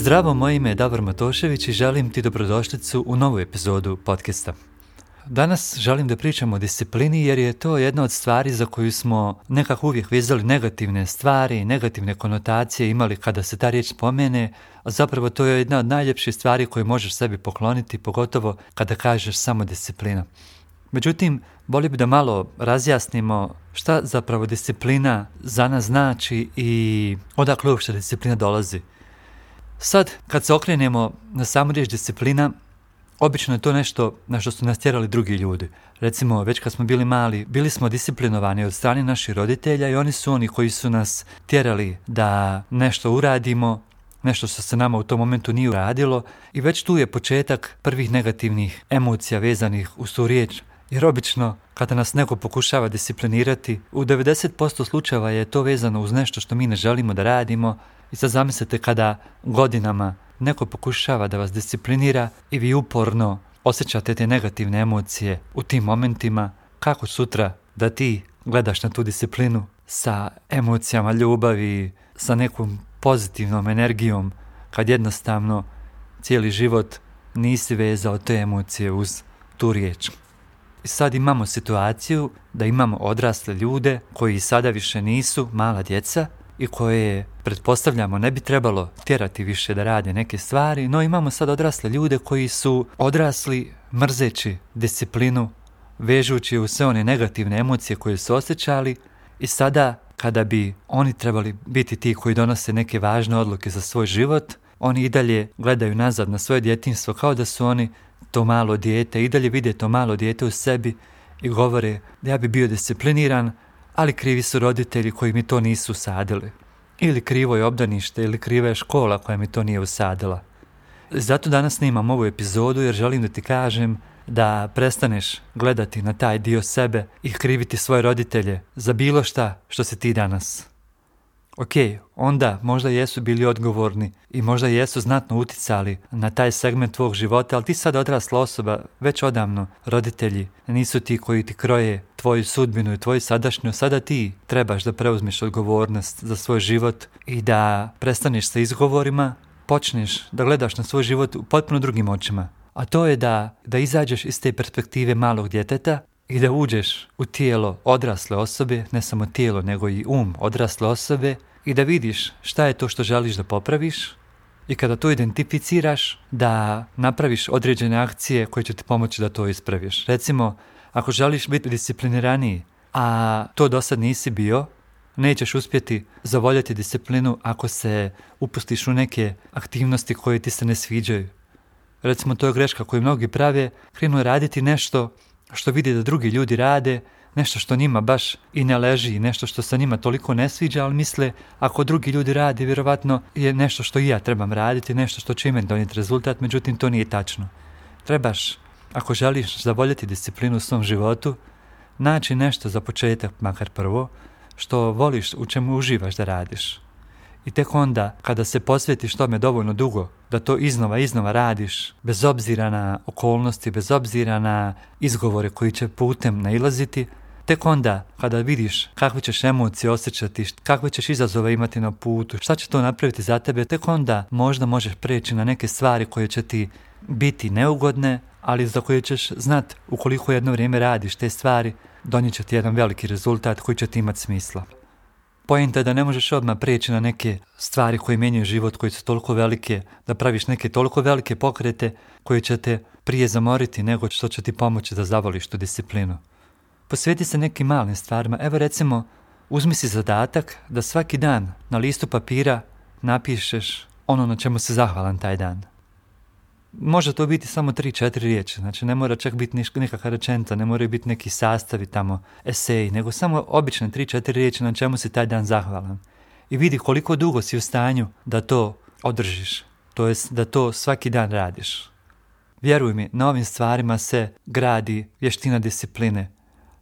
Zdravo, moje ime je Davor Matošević i želim ti dobrodošlicu u novu epizodu podcasta. Danas želim da pričam o disciplini jer je to jedna od stvari za koju smo nekako uvijek vezali negativne stvari, negativne konotacije imali kada se ta riječ spomene, a zapravo to je jedna od najljepših stvari koje možeš sebi pokloniti, pogotovo kada kažeš samo disciplina. Međutim, volio bi da malo razjasnimo šta zapravo disciplina za nas znači i odakle uopšte disciplina dolazi. Sad, kad se okrenemo na samu riječ disciplina, obično je to nešto na što su nas tjerali drugi ljudi. Recimo, već kad smo bili mali, bili smo disciplinovani od strane naših roditelja i oni su oni koji su nas tjerali da nešto uradimo, nešto što se nama u tom momentu nije uradilo i već tu je početak prvih negativnih emocija vezanih uz tu riječ. Jer obično, kada nas neko pokušava disciplinirati, u 90% slučajeva je to vezano uz nešto što mi ne želimo da radimo. I sad zamislite kada godinama neko pokušava da vas disciplinira i vi uporno osjećate te negativne emocije u tim momentima, kako sutra da ti gledaš na tu disciplinu sa emocijama ljubavi, sa nekom pozitivnom energijom, kad jednostavno cijeli život nisi vezao te emocije uz tu riječ. I sad imamo situaciju da imamo odrasle ljude koji sada više nisu mala djeca i koje, pretpostavljamo, ne bi trebalo tjerati više da rade neke stvari, no imamo sad odrasle ljude koji su odrasli mrzeći disciplinu, vežući u sve one negativne emocije koje su osjećali i sada kada bi oni trebali biti ti koji donose neke važne odluke za svoj život, oni i dalje gledaju nazad na svoje djetinjstvo kao da su oni to malo dijete, i dalje vide to malo dijete u sebi i govore da ja bi bio discipliniran, ali krivi su roditelji koji mi to nisu usadili. Ili krivo je obdanište, ili kriva je škola koja mi to nije usadila. Zato danas snimam ovu epizodu jer želim da ti kažem da prestaneš gledati na taj dio sebe i kriviti svoje roditelje za bilo šta što si ti danas. Ok, onda možda jesu bili odgovorni i možda jesu znatno uticali na taj segment tvog života, ali ti sad odrasla osoba, već odavno roditelji nisu ti koji ti kroje tvoju sudbinu i tvoju sadašnjost. Sada ti trebaš da preuzmeš odgovornost za svoj život i da prestaneš sa izgovorima, počneš da gledaš na svoj život u potpuno drugim očima. A to je da izađeš iz te perspektive malog djeteta i da uđeš u tijelo odrasle osobe, ne samo tijelo nego i odrasle osobe, i da vidiš šta je to što želiš da popraviš i kada to identificiraš da napraviš određene akcije koje će ti pomoći da to ispraviš. Recimo, ako želiš biti discipliniraniji, a to do sad nisi bio, nećeš uspjeti zavoljeti disciplinu ako se upustiš u neke aktivnosti koje ti se ne sviđaju. Recimo, to je greška koju mnogi prave, krenu raditi nešto što vidi da drugi ljudi rade, nešto što njima baš i ne leži, nešto što se njima toliko ne sviđa, ali misle ako drugi ljudi rade, vjerovatno je nešto što i ja trebam raditi, nešto što će meni donijeti rezultat, međutim to nije tačno. Trebaš, ako želiš zavoljeti disciplinu u svom životu, naći nešto za početak, makar prvo, što voliš, u čemu uživaš da radiš. I tek onda, kada se posvetiš tome dovoljno dugo, da to iznova radiš, bez obzira na okolnosti, bez obzira na izgovore koji će putem nailaziti, tek onda, kada vidiš kakve ćeš emocije osjećati, kakve ćeš izazove imati na putu, šta će to napraviti za tebe, tek onda možda možeš preći na neke stvari koje će ti biti neugodne, ali za koje ćeš znat ukoliko jedno vrijeme radiš te stvari, donijet će ti jedan veliki rezultat koji će ti imati smisla. Poenta je da ne možeš odmah prijeći na neke stvari koje mijenjaju život, koje su toliko velike, da praviš neke toliko velike pokrete koje će te prije zamoriti nego što će ti pomoći da zavoliš tu disciplinu. Posveti se nekim malim stvarima. Evo recimo, uzmi si zadatak da svaki dan na listu papira napišeš ono na čemu si zahvalan taj dan. Može to biti samo 3-4 riječi, znači ne mora čak biti nekakva rečenica, ne moraju biti neki sastavi tamo, eseji, nego samo obične 3-4 riječi na čemu si taj dan zahvalan. I vidi koliko dugo si u stanju da to održiš, to jest da to svaki dan radiš. Vjeruj mi, na ovim stvarima se gradi vještina discipline.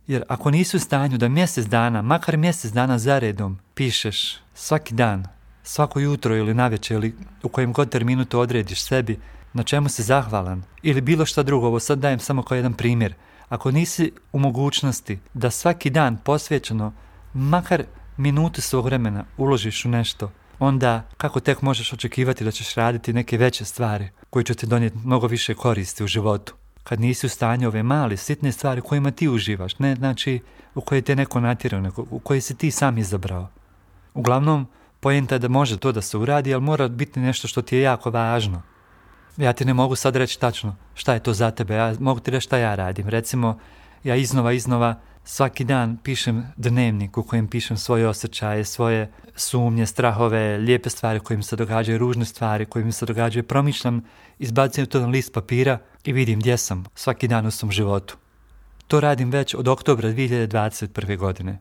Jer ako nisi u stanju da mjesec dana, makar mjesec dana zaredom, pišeš svaki dan, svako jutro ili navečer ili u kojem god terminu to odrediš sebi, na čemu si zahvalan ili bilo šta drugo, ovo sad dajem samo kao jedan primjer. Ako nisi u mogućnosti da svaki dan posvećeno makar minutu svog vremena uložiš u nešto onda kako tek možeš očekivati da ćeš raditi neke veće stvari koje će ti donijeti mnogo više koristi u životu? Kad nisi u stanju ove male, sitne stvari kojima ti uživaš, ne znači u koje te neko natjerao, nego u koje si ti sam izabrao. Uglavnom, poenta je da može to da se uradi, ali mora biti nešto što ti je jako važno. Ja ti ne mogu sad reći tačno šta je to za tebe, ja mogu ti reći šta ja radim. Recimo, ja iznova svaki dan pišem dnevnik u kojem pišem svoje osjećaje, svoje sumnje, strahove, lijepe stvari koje mi se događaju, ružne stvari koje mi se događaju. Promišljam, izbacim to na list papira i vidim gdje sam svaki dan u svom životu. To radim već od oktobra 2021. godine.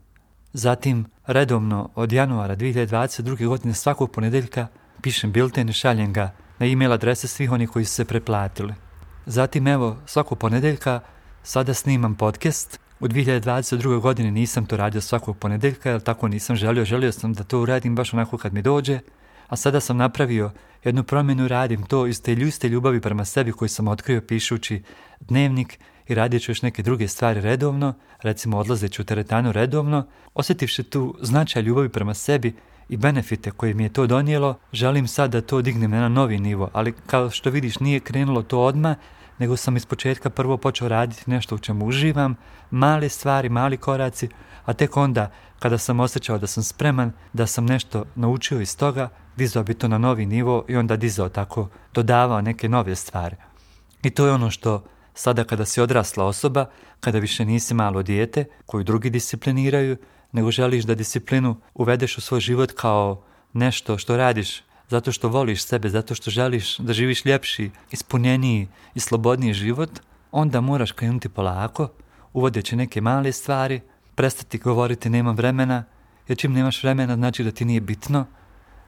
Zatim, redovno od januara 2022. godine svakog ponedjeljka pišem bilten i šaljem ga na e-mail adrese svih onih koji su se pretplatili. Zatim, evo, svakog ponedjeljka sada snimam podcast. U 2022. godini nisam to radio svakog ponedjeljka, jer tako nisam želio sam da to uradim baš onako kad mi dođe, a sada sam napravio jednu promjenu, radim to iz te iste ljubavi prema sebi koju sam otkrio pišući dnevnik i radit ću još neke druge stvari redovno, recimo odlazeći u teretanu redovno, osjetivši tu značaj ljubavi prema sebi i benefite koje mi je to donijelo, želim sad da to dignem na novi nivo, ali kao što vidiš nije krenulo to odmah, nego sam ispočetka prvo počeo raditi nešto u čemu uživam, male stvari, mali koraci, a tek onda kada sam osjećao da sam spreman, da sam nešto naučio iz toga, dizao bi to na novi nivo i onda dizao tako, dodavao neke nove stvari. I to je ono što sada kada si odrasla osoba, kada više nisi malo dijete koju drugi discipliniraju, nego želiš da disciplinu uvedeš u svoj život kao nešto što radiš zato što voliš sebe, zato što želiš da živiš ljepši, ispunjeniji i slobodniji život, onda moraš krenuti polako, uvodeći neke male stvari, prestati govoriti nemam vremena, jer čim nemaš vremena znači da ti nije bitno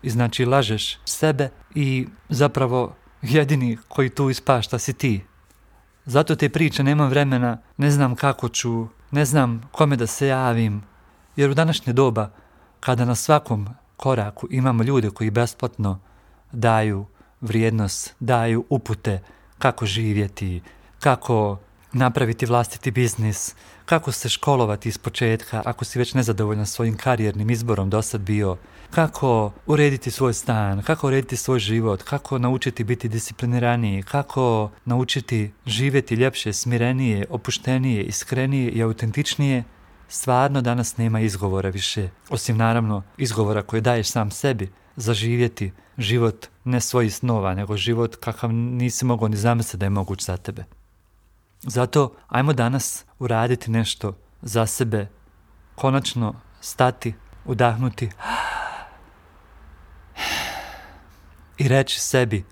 i znači lažeš sebe i zapravo jedini koji tu ispašta si ti. Zato te priče nemam vremena, ne znam kako ću, ne znam kome da se javim, jer u današnje doba kada na svakom koraku imamo ljude koji besplatno daju vrijednost, daju upute kako živjeti, kako napraviti vlastiti biznis, kako se školovati iz početka ako si već nezadovoljan svojim karijernim izborom do sad bio, kako urediti svoj stan, kako urediti svoj život, kako naučiti biti discipliniraniji, kako naučiti živjeti ljepše, smirenije, opuštenije, iskrenije i autentičnije. Stvarno danas nema izgovora više, osim naravno izgovora koje daješ sam sebi za živjeti život ne svojih snova, nego život kakav nisi mogao ni zamisliti da je moguć za tebe. Zato ajmo danas uraditi nešto za sebe, konačno stati, udahnuti i reći sebi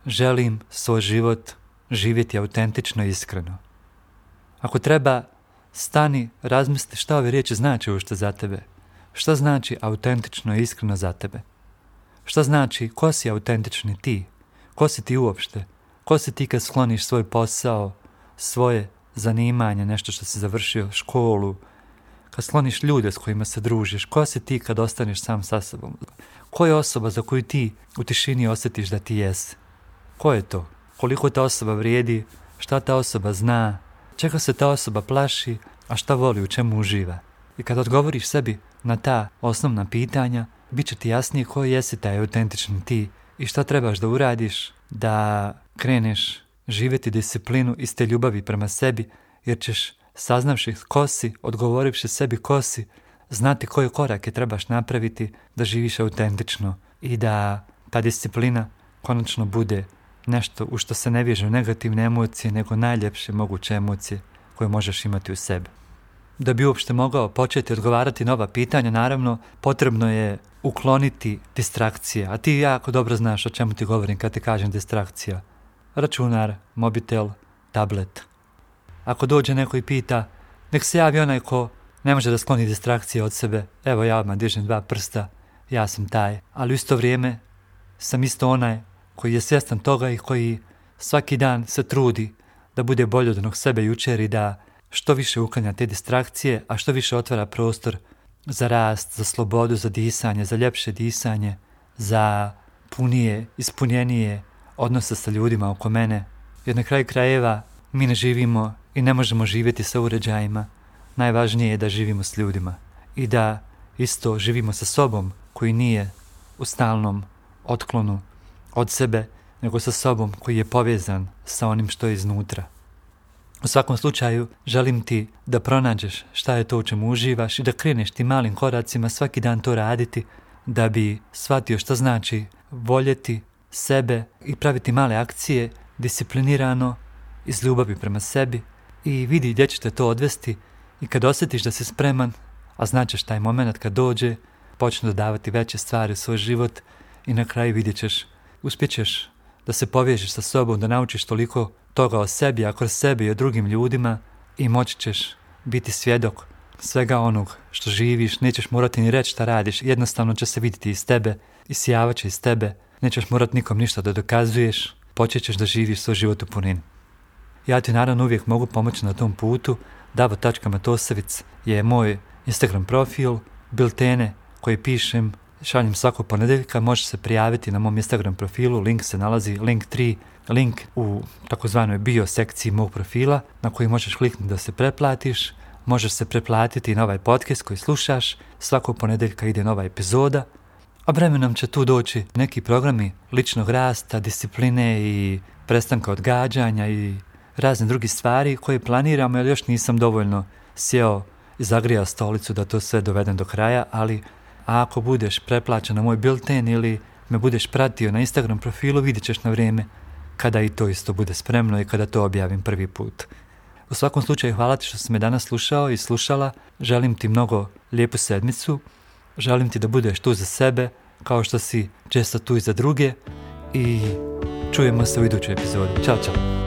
želim svoj život živjeti autentično i iskreno. Ako treba, stani, razmisli šta ove riječi znači uopšte za tebe. Šta znači autentično i iskreno za tebe? Šta znači ko si autentični ti? Ko si ti uopšte? Ko si ti kad skloniš svoj posao, svoje zanimanje, nešto što si završio, školu, kad skloniš ljude s kojima se družiš? Ko si ti kad ostaneš sam sa sobom? Ko je osoba za koju ti u tišini osjetiš da ti jesi? Ko je to? Koliko ta osoba vrijedi? Šta ta osoba zna? Čega se ta osoba plaši, a šta voli, u čemu uživa? I kad odgovoriš sebi na ta osnovna pitanja, bit će ti jasnije ko jesi taj autentični ti i šta trebaš da uradiš da kreneš živjeti disciplinu iz te ljubavi prema sebi, jer ćeš, saznavši ko si, odgovorivši sebi ko si, znati koje korake trebaš napraviti da živiš autentično i da ta disciplina konačno bude nešto u što se ne vežu negativne emocije, nego najljepše moguće emocije koje možeš imati u sebi. Da bi uopšte mogao početi odgovarati na ova pitanja, naravno, potrebno je ukloniti distrakcije. A ti jako dobro znaš o čemu ti govorim kad ti kažem distrakcija. Računar, mobitel, tablet. Ako dođe neko i pita, nek se javi onaj ko ne može da skloni distrakcije od sebe. Evo ja odmah dižem 2 prsta, ja sam taj. Ali u isto vrijeme sam isto onaj koji je svjestan toga i koji svaki dan se trudi da bude bolji od onog sebe jučer i da što više uklanja te distrakcije, a što više otvara prostor za rast, za slobodu, za disanje, za ljepše disanje, za punije, ispunjenije odnose sa ljudima oko mene. Jer na kraju krajeva mi ne živimo i ne možemo živjeti sa uređajima. Najvažnije je da živimo s ljudima i da isto živimo sa sobom koji nije u stalnom otklonu od sebe, nego sa sobom koji je povezan sa onim što je iznutra. U svakom slučaju, želim ti da pronađeš šta je to u čemu uživaš i da kreneš ti malim koracima svaki dan to raditi da bi shvatio šta znači voljeti sebe i praviti male akcije disciplinirano, iz ljubavi prema sebi i vidi gdje će te to odvesti i kad osjetiš da si spreman, a značeš taj moment kad dođe, počne dodavati veće stvari u svoj život i na kraju vidjet ćeš, uspjećeš da se povežeš sa sobom, da naučiš toliko toga o sebi, a kroz sebe i o drugim ljudima i moći ćeš biti svjedok svega onog što živiš, nećeš morati ni reći šta radiš, jednostavno će se vidjeti iz tebe, isijavat će iz tebe, nećeš morati nikom ništa da dokazuješ, počet ćeš da živiš svoj život u punini. Ja ti naravno uvijek mogu pomoći na tom putu, Davo.Matosevic je moj Instagram profil, biltene koje pišem, šaljem svakog ponedjeljka, možeš se prijaviti na mom Instagram profilu, link se nalazi, link u takozvanoj bio sekciji mog profila na koji možeš kliknuti da se pretplatiš, možeš se pretplatiti na ovaj podcast koji slušaš, svakog ponedjeljka ide nova epizoda, a vremenom će tu doći neki programi ličnog rasta, discipline i prestanka odgađanja i razne druge stvari koje planiramo, jer još nisam dovoljno sjeo i zagrijao stolicu da to sve dovedem do kraja, ali ako budeš pretplaćen na moj bilten ili me budeš pratio na Instagram profilu, vidjet ćeš na vrijeme kada i to isto bude spremno i kada to objavim prvi put. U svakom slučaju hvala ti što si me danas slušao i slušala, želim ti mnogo lijepu sedmicu, želim ti da budeš tu za sebe kao što si često tu i za druge i čujemo se u idućoj epizodi. Ćao, čao!